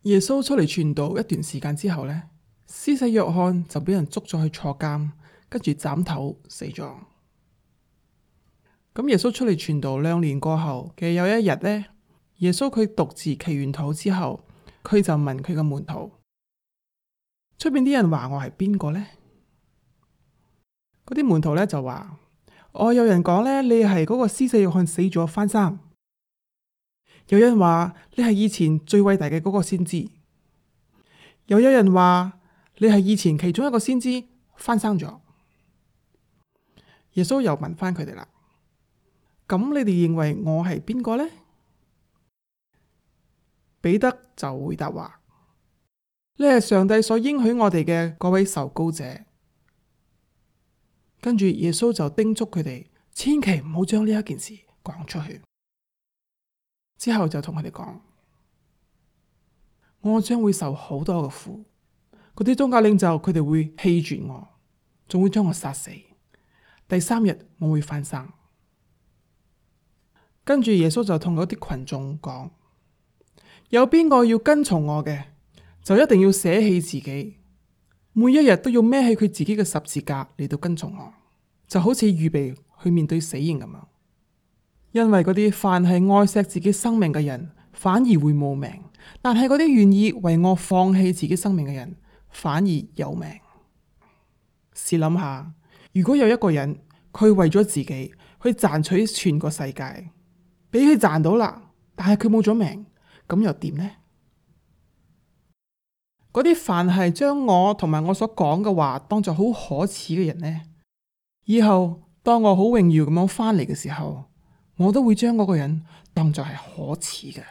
耶穌出嚟傳道一段時間之後呢，施洗約翰就俾人捉咗去坐監，跟住斬頭死咗。咁耶穌出嚟傳道2年過後嘅有一日呢，耶穌佢獨自祈完禱之後，佢就問佢嘅門徒：出邊啲人話我係邊個呢？嗰啲門徒呢就話：有人講呢，你係嗰個施洗約翰死咗翻生；有人話你係以前最偉大嘅嗰個先知；又有人話你係以前其中一個先知翻生咗。耶穌又問翻佢哋啦：咁你哋認為我係邊個呢？彼得就回答話：你係上帝所應許我哋嘅嗰位受膏者。跟住耶穌就叮囑佢哋，千祈唔好將呢一件事講出去。之後就同佢哋講：我將會受好多嘅苦，嗰啲宗教領袖佢哋會棄絕我，仲會將我殺死。第3日我會翻生。跟住耶穌就同嗰啲群眾講：有邊個要跟從我嘅，就一定要捨棄自己，每一日都要孭起佢自己嘅十字架嚟到跟從我，就好似預備去面對死刑咁樣。因為嗰啲凡係愛惜自己生命嘅人，反而會冇命；但係嗰啲願意為我放棄自己生命嘅人，反而有命。試諗下，如果有一個人，佢為咗自己去賺取全個世界，俾佢賺到啦，但係佢冇咗命，咁又點呢？嗰啲凡係將我同埋我所講嘅話當作好可恥嘅人呢，以後當我好榮耀咁樣翻嚟嘅時候，我都會將嗰個人當作係可恥嘅。